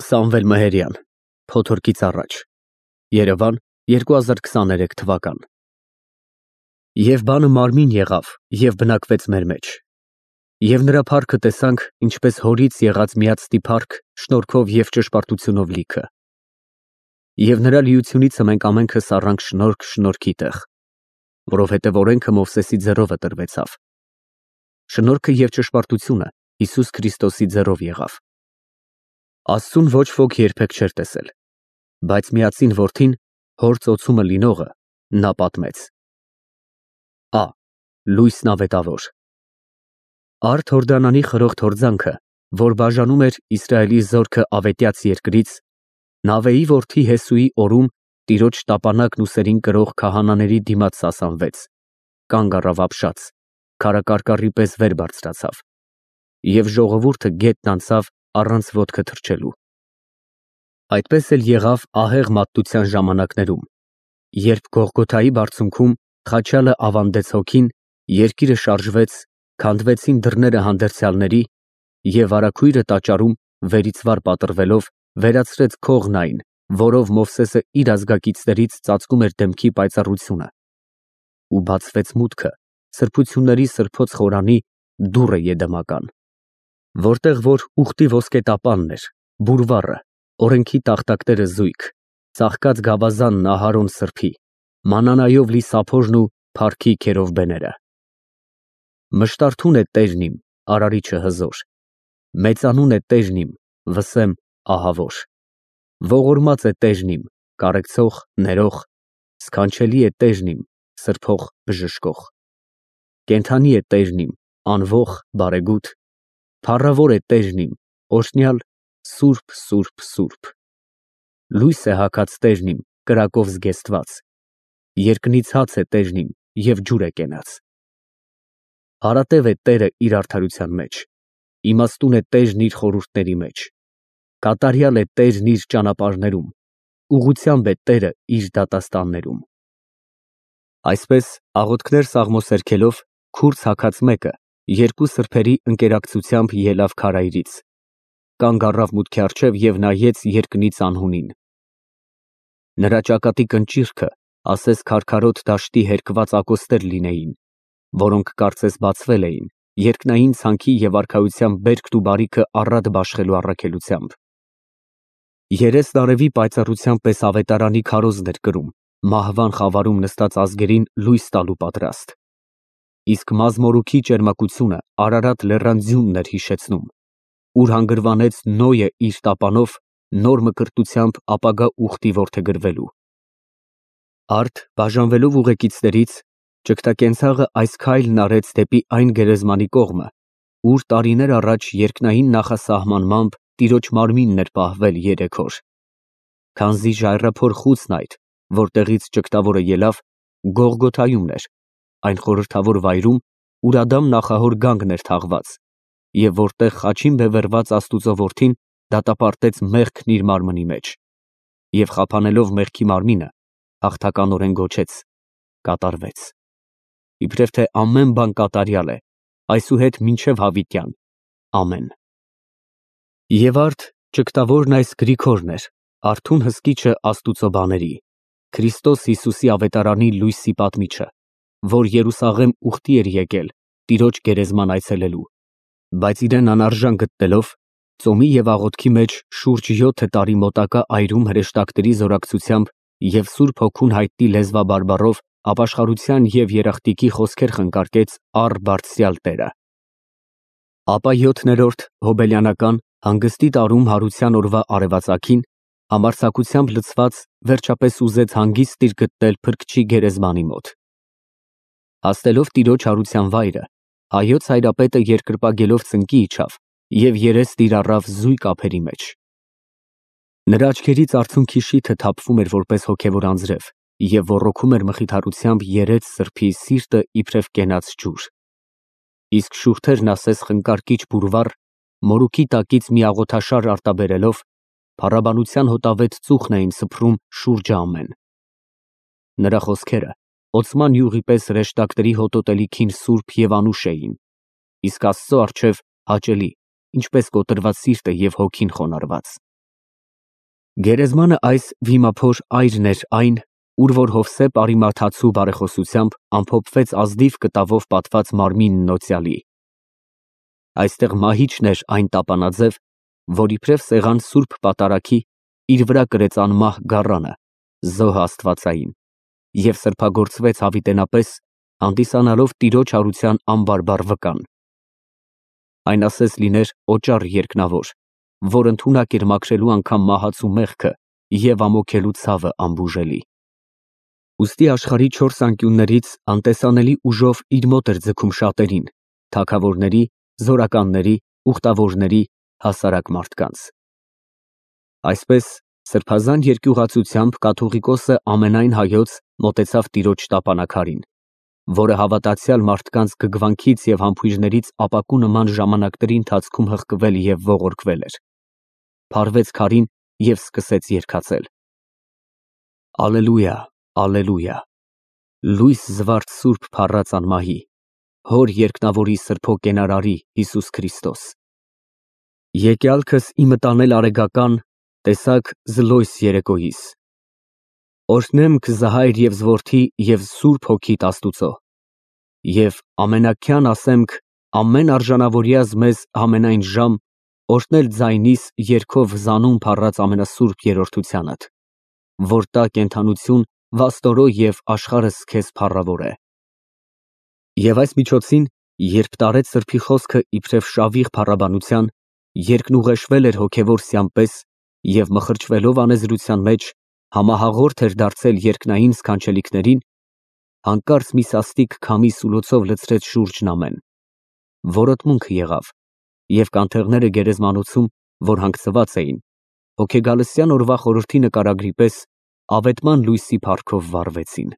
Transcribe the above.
Սամվել Մհերյան, Փոթորկից առաջ, Երևան, 2023 թվական։ Եվ բանը մարմին եղավ, և բնակվեց մեր մեջ։ Եվ նրա փառքը տեսանք, ինչպես հորից եղած միածնի փառք, շնորհքով և ճշմարտությունով լիքը։ Եվ նրա լիությունիցը մենք ամենքս առանք շնորհք շնորհքի տեղ, որովհետև օրենքը Մովսեսի ձեռով տրվեցավ։ Շնորհքը և ճշմարտությունը Հիսուս Քրիստոսի ձեռով եղավ։ Աստծուն ոչ ոք երբեք չէր տեսել, բայց միածին որդին, հոր ծոցումը լինողը, նա պատմեց։ Ա. Լույսն ավետավոր։ Արդ Հորդանանի խրոխտ հորձանքը, որ բաժանում էր Իսրայելի զորքը ավետյաց երկրից, Նավեի որդի Հեսուի օրում տիրոջ տապանակն ուսերին կրող քահանաների դիմաց սասանվեց, կանգ առավ ապշած, քարակարկառի պես վեր բարձրացավ, և ժողովուրդը գետն անցավ առանց ոտքը թռչելու։ Այդպես էլ եղավ ահեղ մատտության ժամանակներում, երբ Գողգոթայի բարձունքում խաչյալը ավանդեց հոգին, երկիրը շարժվեց, քանդվեցին դռները հանդերձյալների, և արաքույրը տաճարում, վերից վար պատռվելով, վերացրեց քողն այն, որով Մովսեսը իր ազգակիցներից ծածկում էր դեմքի պայծառությունը, ու բացվեց մուտքը սրբությունների սրբոց խորանի դուռը Եդեմական, որտեղ որ ուխտի ոսկետապանն էր, բուրվառը, օրենքի տախտակները զույգ, ծաղկած գավազանն Ահարոն սրբի, մանանայով լի սափորն ու փառքի քերովբեները։ Մշտարթուն է Տերն իմ, արարիչը հզոր, մեծանուն է Տերն իմ, վսեմ ահավոր, ողորմած է Տերն իմ, կարեկցող, ներող, սքանչելի է Տերն իմ, սրբող, բժշկող, կենդանի է Տերն իմ, անվող, բարեգութ, փառավոր է Տերն իմ, օրհնյալ, սուրբ, սուրբ, սուրբ։ Լույս է հագած Տերն իմ, կրակով զգեստված, երկնից հաց է Տերն իմ, և ջուր է կենաց։ Հարատև է Տերը իր արդարության մեջ, իմաստուն է Տերն իր խորհուրդների մեջ, կատարյալ է Տերն իր ճանապարհներում, ուղղությամբ է Տերը իր դատաստաններում։ Այսպես աղոթքներ սաղմոսերքելով, քուրձ հագած մեկը երկու սրբերի ընկերակցությամբ ելավ քարայրից, կանգ առավ մուտքի առջև և նայեց երկնից անհունին։ Նրա ճակատի կնճիռքը ասես քարքարոտ դաշտի հերկված ակոստեր լինեին, որոնք կարծես բացվել էին, երկնային ցանքի և արքայության բերքն ու բարիքը առատ բաշխելու առաքելությամբ։ Երեսն արևի պայծառության պես ավետարանի քարոզն էր կրում, մահվան խավարում նստած ազգերին լույս տալու պատրաստ։ Իսկ մազմորուքի ճերմակությունը Արարատ լեռան ձյունն էր հիշեցնում, ուր հանգրվանեց Նոյը իր տապանով նոր մկրտությամբ ապագա ուխտի որդեգրվելու։ Արդ բաժանվելով ուղեկիցներից, ճգտակենցաղը այս քայլն արեց դեպի այն գերեզմանի կողմը, ուր տարիներ առաջ երկնային նախասահմանմամբ տիրոջ մարմինն էր պահվել 3 օր։ Քանզի ժայռափոր խուցն այդ, որտեղից ճգտավորը ելավ, Գողգոթայումն էր, այն խորհրդավոր վայրում, ուր Ադամ նախահոր գանգն էր թաղված, և որտեղ խաչին բևեռված Աստուծո որդին դատապարտեց մեղքն իր մարմնի մեջ, և խափանելով մեղքի մարմինը, հաղթականորեն գոչեց. կատարվեց։ Իբրև թե ամեն բան կատարյալ է, այսուհետ մինչև հավիտյան, ամեն։ Եվ արդ ճգտավորն այս Գրիգորն էր, արթուն հսկիչը Աստուծո բաների, Քրիստոս Հիսուսի ավետարանի լույսի պատմիչը, որ Երուսաղեմ ուխտի էր եկել, տիրոջ գերեզման այցելելու, բայց իրեն անարժան գտնելով, ծոմի և աղոթքի մեջ շուրջ 7 տարի մոտակա այրում հրեշտակների զորակցությամբ և Սուրբ Հոգուն հայտնի լեզվաբարբառով ապաշխարության և երախտիկի խոսքեր խնկարկեց առ Բարձրյալ Տերը։ Ապա 7-րդ հոբելյանական հանգստի տարում հարության օրվա արևածագին, համարձակությամբ լցված, վերջապես ուզեց հանգիստ իր գտնել Փրկչի գերեզմանի մոտ։ Հասնելով տիրոջ հարության վայրը, հայոց հայրապետը երկրպագելով ծնկի իջավ և երեստ իր առավ զույգ ափերի մեջ։ Նրա աչքերից արցունքի շիթը թափվում էր որպես հոգևոր անձրև և ոռոգում էր մխիթարությամբ երեց սրբի սիրտը իբրև կենաց ջուր։ Իսկ շուրթերն ասես խնկարկիչ բուրվառ, մորուքի տակից մի աղոթաշար արտաբերելով, փառաբանության հոտավետ ծուխն էին սփռում շուրջը ամեն։ Նրա խոսքերը օծման յուղի պես հրեշտակների հոտոտելիքին սուրբ և անուշ էին, իսկ Աստծո առջև հաճելի, ինչպես կոտրված սիրտը և հոգին խոնարհված։ Գերեզմանը այս վիմափոր այրն էր այն, ուր որ Հովսեփ Արիմաթացու բարեխոսությամբ ամփոփվեց ազնիվ կտավով պատված մարմինն Նոցյալի։ Այստեղ մահիճն էր այն տապանաձև, որ իբրև սեղան Սուրբ Պատարագի իր վրա կրեց անմահ գառանը, զոհ աստվածային, և սրբագործվեց հավիտենապես, հանդիսանալով տիրոջ հարության անբարբար վկան։ Այն ասես լիներ օճառ երկնավոր, որ ընդունակ էր մաքրելու անգամ մահացու մեղքը և ամոքելու ցավը անբուժելի։ Ուստի աշխարհի չորս անկյուններից անտեսանելի ուժով իր մոտ էր ձգում շատերին, թագավորների, զորականների, ուխտավորների, հասարակ մարդկանց։ Այսպես սրբազան երկյուղացությամբ կաթողիկոսը ամենայն հայոց մոտեցավ տիրոջ տապանաքարին, որը հավատացյալ մարդկանց գգվանքից և համբույրներից ապակու նման ժամանակների ընթացքում հղկվել և ողորկվել էր, փարվեց քարին և սկսեց երգացել. Ալելույա, ալելույա, լույս զվարթ սուրբ փառած անմահի, հոր երկնավորի սրբո կենարարի Հիսուս Քրիստոս։ Եկյալքս իմը տանել արեգական, տեսակ զլոյս երեկոյիս։ Օրհնեմ քզահայր և զորդի և սուրբ հոգիտ Աստուծո, և ամենակյան ասեմք ամեն արժանավորյազ մեզ ամենայն ժամ օրհնել ձայնիս երգով զանուն փառած ամենասուրբ երրորդությանդ, որ տա կենդանություն վաստորո և աշխարհս քեզ փառավոր է։ Եվ այս միջոցին, երբ տարեց սրբի խոսքը իբրև շավիղ փառաբանության, երկնուղեշվել էր հոգևոր սյան պես և մխրճվելով անեզրության մեջ համահաղորդ էր դարձել երկնային սքանչելիքներին, հանկարծ մի սաստիկ քամի սուլոցով լցրեց շուրջն ամեն, որոտմունք եղավ, և կանթեղները գերեզմանոցում, որ հանգցված էին, հոգեգալստյան օրվա խորհրդի նկարագրի պես ավետման լույսի փառքով վառվեցին։